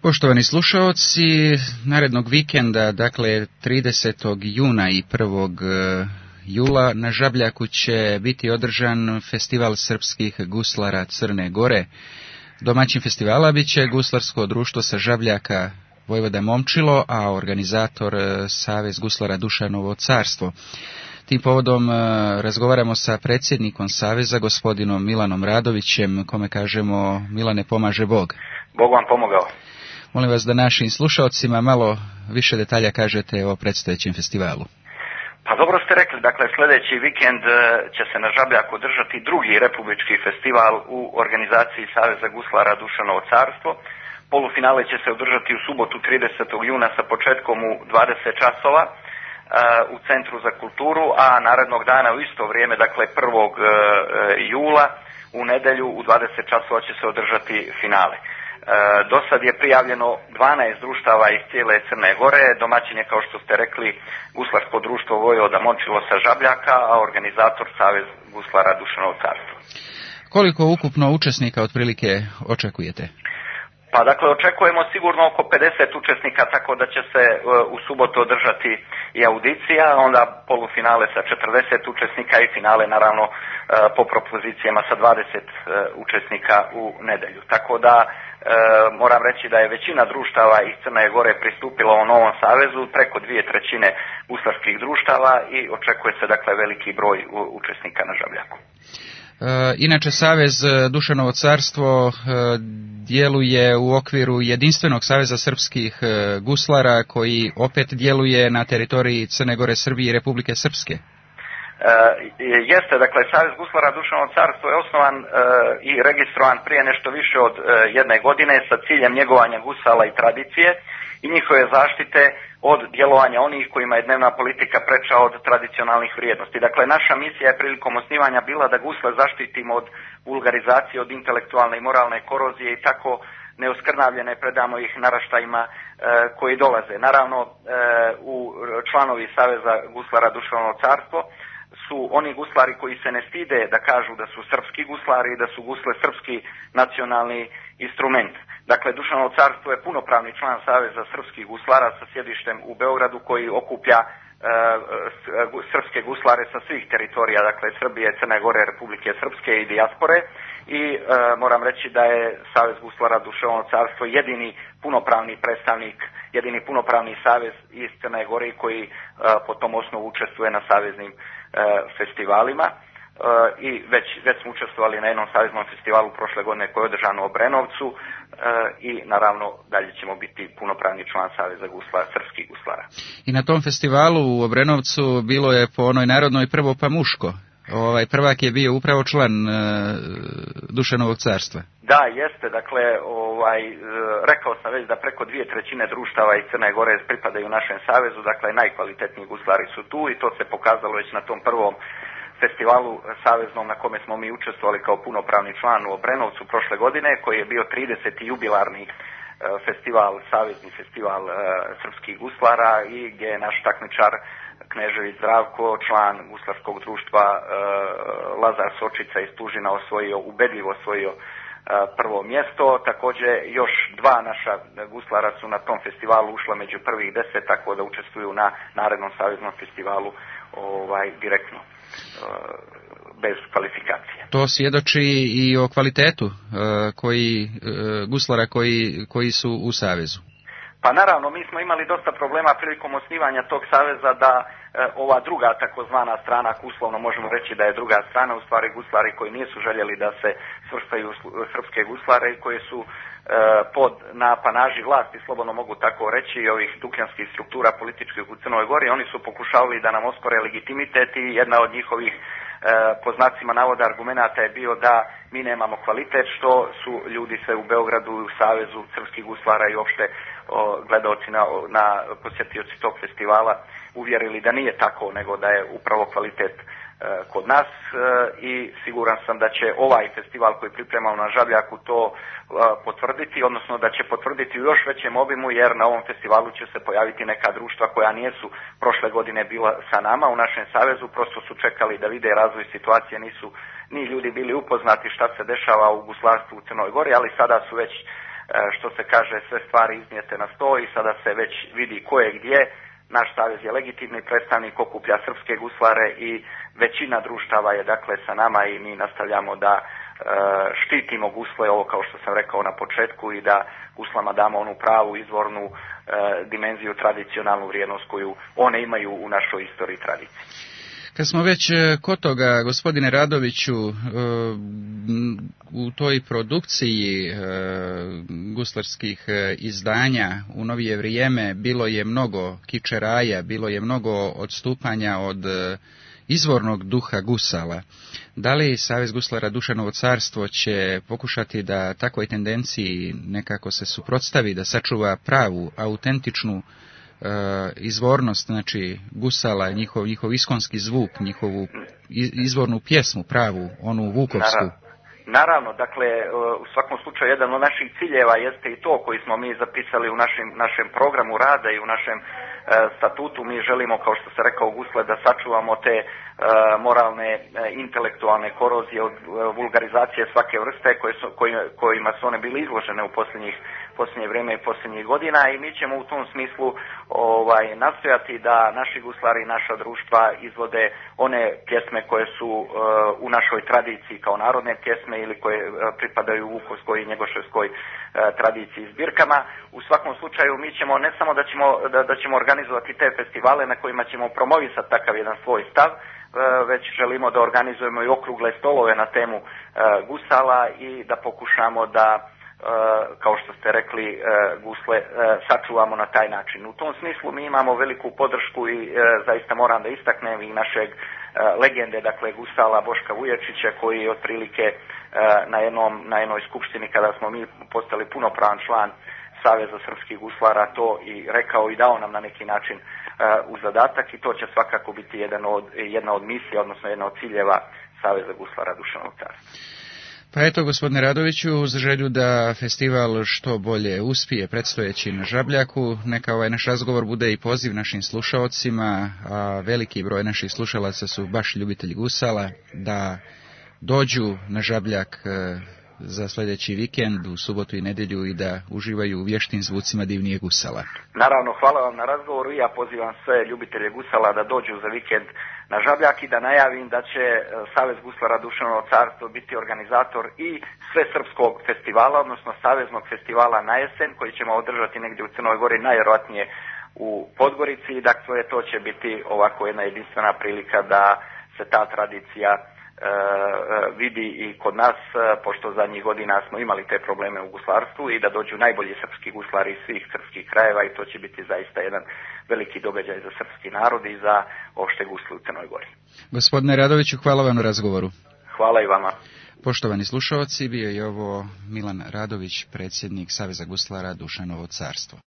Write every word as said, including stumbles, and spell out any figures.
Poštovani slušaoci, narednog vikenda, dakle tridesetog juna i prvog jula, na Žabljaku će biti održan festival srpskih guslara Crne Gore. Domaćin festivala bit će Guslarsko društvo sa Žabljaka Vojvoda Momčilo, a organizator Savez guslara Dušanovo carstvo. Tim povodom razgovaramo sa predsjednikom Saveza, gospodinom Milanom Radovićem, kome kažemo: Milane, pomaže Bog. Bog vam pomogao. Molim vas da našim slušalcima malo više detalja kažete o predstojećem festivalu. Pa dobro ste rekli, dakle sljedeći vikend će se na Žabljaku održati drugi republički festival u organizaciji Saveza guslara Dušanovo carstvo. Polufinale će se održati u subotu tridesetog juna sa početkom u dvadeset časova u Centru za kulturu, a narednog dana u isto vrijeme, dakle prvog jula, u nedjelju u dvadeset časova će se održati finale. Do sad je prijavljeno dvanaest društava iz cijele Crne Gore. Domaćin je, kao što ste rekli, Guslarsko društvo Vojvoda Momčilo sa Žabljaka, a organizator Savez guslara Dušanovo carstvo. Koliko ukupno učesnika otprilike očekujete? Pa dakle, očekujemo sigurno oko pedeset učesnika, tako da će se u subotu održati i audicija, onda polufinale sa četrdeset učesnika i finale naravno po propozicijama sa dvadeset učesnika u nedjelju. Tako da e, moram reći da je većina društava iz Crne Gore pristupila o novom savezu, preko dvije trećine guslarskih društava, i očekuje se dakle veliki broj učesnika na Žabljaku. Inače, Savez Dušanovo carstvo djeluje u okviru jedinstvenog saveza srpskih guslara, koji opet djeluje na teritoriji Crne Gore, Srbije i Republike Srpske. E, jeste, dakle, Savez guslara Dušanovo carstvo je osnovan e, i registrovan prije nešto više od e, jedne godine sa ciljem njegovanja gusala i tradicije i njihove zaštite od djelovanja onih kojima je dnevna politika preča od tradicionalnih vrijednosti. Dakle, naša misija je prilikom osnivanja bila da gusle zaštitimo od vulgarizacije, od intelektualne i moralne korozije i tako neoskrnavljene predamo ih naraštajima e, koji dolaze. Naravno, e, u članovi Saveza guslara Dušanovo carstvo su oni guslari koji se ne stide da kažu da su srpski guslari i da su gusle srpski nacionalni instrument. Dakle, Dušanovo carstvo je punopravni član Saveza srpskih guslara sa sjedištem u Beogradu, koji okuplja e, srpske guslare sa svih teritorija, dakle Srbije, Crne Gore, Republike Srpske i dijaspore. I e, moram reći da je Savez guslara Dušanovo carstvo jedini punopravni predstavnik, jedini punopravni savez iz Crne Gore koji e, po tom osnovu učestvuje na saveznim e, festivalima. Uh, i već, već smo učestvovali na jednom saveznom festivalu prošle godine koji je održan u Obrenovcu uh, i naravno dalje ćemo biti punopravni član Saveza guslara, srpskih guslara. I na tom festivalu u Obrenovcu bilo je po onoj narodnoj prvo pa muško. Ovaj prvak je bio upravo član uh, Dušanovog carstva. Da, jeste, dakle, ovaj, uh, rekao sam već da preko dvije trećine društava iz Crne Gore pripadaju našem savezu, dakle najkvalitetniji guslari su tu i to se pokazalo već na tom prvom festivalu saveznom na kome smo mi učestvovali kao punopravni član u Obrenovcu prošle godine, koji je bio trideseti jubilarni festival, savezni festival uh, srpskih guslara, i gdje je naš takmičar Knežević Zdravko, član guslarskog društva uh, Lazar Sočica iz Tužina, osvojio, ubedljivo osvojio uh, prvo mjesto. Također još dva naša guslara su na tom festivalu ušla među prvih deset, tako da učestvuju na narednom saveznom festivalu ovaj direktno, bez kvalifikacije. To svjedoči i o kvalitetu koji, guslara koji, koji su u savezu. Pa naravno, mi smo imali dosta problema prilikom osnivanja tog saveza da e, ova druga takozvana strana, ako uslovno možemo reći da je druga strana, u stvari guslari koji nisu željeli da se svrstaju srpske guslare i koje su e, pod napanaži vlasti, slobodno mogu tako reći, i ovih dukljanskih struktura političkih u Crnoj Gori, oni su pokušavali da nam ospore legitimitet i jedna od njihovih po znacima navoda argumenata je bio da mi nemamo kvalitet, što su ljudi se u Beogradu i u Savezu srpskih guslara i uopšte gledaoci na, na posjetioci tog festivala uvjerili da nije tako, nego da je upravo kvalitet e, kod nas e, i siguran sam da će ovaj festival koji pripremamo na Žabljaku to e, potvrditi, odnosno da će potvrditi u još većem obimu, jer na ovom festivalu će se pojaviti neka društva koja nisu prošle godine bila sa nama u našem savezu, prosto su čekali da vide razvoj situacije, nisu ni ljudi bili upoznati šta se dešava u guslarstvu u Crnoj Gori, ali sada su već što se kaže, sve stvari iznijete na sto i sada se već vidi ko je gdje. Naš savez je legitimni predstavnik, okuplja srpske guslare i većina društava je dakle sa nama i mi nastavljamo da štitimo gusle, ovo kao što sam rekao na početku, i da guslama damo onu pravu izvornu dimenziju, tradicionalnu vrijednost koju one imaju u našoj istoriji i tradiciji. Kad smo već kod toga, gospodine Radoviću, u toj produkciji guslarskih izdanja u novije vrijeme bilo je mnogo kičeraja, bilo je mnogo odstupanja od izvornog duha gusala. Da li Savez guslara Dušanovo carstvo će pokušati da takvoj tendenciji nekako se suprotstavi, da sačuva pravu, autentičnu Uh, izvornost, znači gusala, njihov, njihov iskonski zvuk, njihovu izvornu pjesmu, pravu, onu vukovsku? Naravno, naravno, dakle, u svakom slučaju jedan od naših ciljeva jeste i to koji smo mi zapisali u našem, našem programu rada i u našem uh, statutu. Mi želimo, kao što se rekao, gusle da sačuvamo te uh, moralne, uh, intelektualne korozije od uh, vulgarizacije svake vrste koje su, koj, kojima su one bile izložene u posljednjih posljednje vrijeme i posljednjih godina, i mi ćemo u tom smislu ovaj, nastojati da naši guslari i naša društva izvode one pjesme koje su uh, u našoj tradiciji kao narodne pjesme ili koje uh, pripadaju vukovskoj i njegoševskoj uh, tradiciji i zbirkama. U svakom slučaju mi ćemo, ne samo da ćemo, da, da ćemo organizovati te festivale na kojima ćemo promovisati takav jedan svoj stav, uh, već želimo da organizujemo i okrugle stolove na temu uh, gusala i da pokušamo da kao što ste rekli, gusle sačuvamo na taj način. U tom smislu mi imamo veliku podršku i zaista moram da istaknem i našeg legende, dakle gusala Boška Vuječića, koji je otprilike na, jednom, na jednoj skupštini kada smo mi postali punopravan član Saveza srpskih guslara to i rekao i dao nam na neki način u zadatak, i to će svakako biti jedan od, jedna od misija, odnosno jedna od ciljeva Saveza guslara Dušanovog carstva. Pa eto, gospodine Radoviću, uz želju da festival što bolje uspije predstojeći na Žabljaku, neka ovaj naš razgovor bude i poziv našim slušaocima, a veliki broj naših slušalaca su baš ljubitelji gusala, da dođu na Žabljak za sljedeći vikend, u subotu i nedjelju, i da uživaju u vještim zvucima divnije gusala. Naravno, hvala vam na razgovoru i ja pozivam sve ljubitelje gusala da dođu za vikend na Žabljak i da najavim da će Savez guslara Dušanovo carstvo biti organizator i svesrpskog festivala, odnosno saveznog festivala na jesen, koji ćemo održati negdje u Crnoj Gori, najvjerojatnije u Podgorici. Dakle, to će biti ovako jedna jedinstvena prilika da se ta tradicija E, vidi i kod nas, pošto zadnjih godina smo imali te probleme u guslarstvu, i da dođu najbolji srpski guslari iz svih srpskih krajeva, i to će biti zaista jedan veliki događaj za srpski narod i za opšte gusle u Crnoj Gori. Gospodine Radoviću, hvala vam na razgovoru. Hvala i vama. Poštovani slušalci, bio je ovo Milan Radović, predsjednik Saveza guslara Dušanovo carstvo.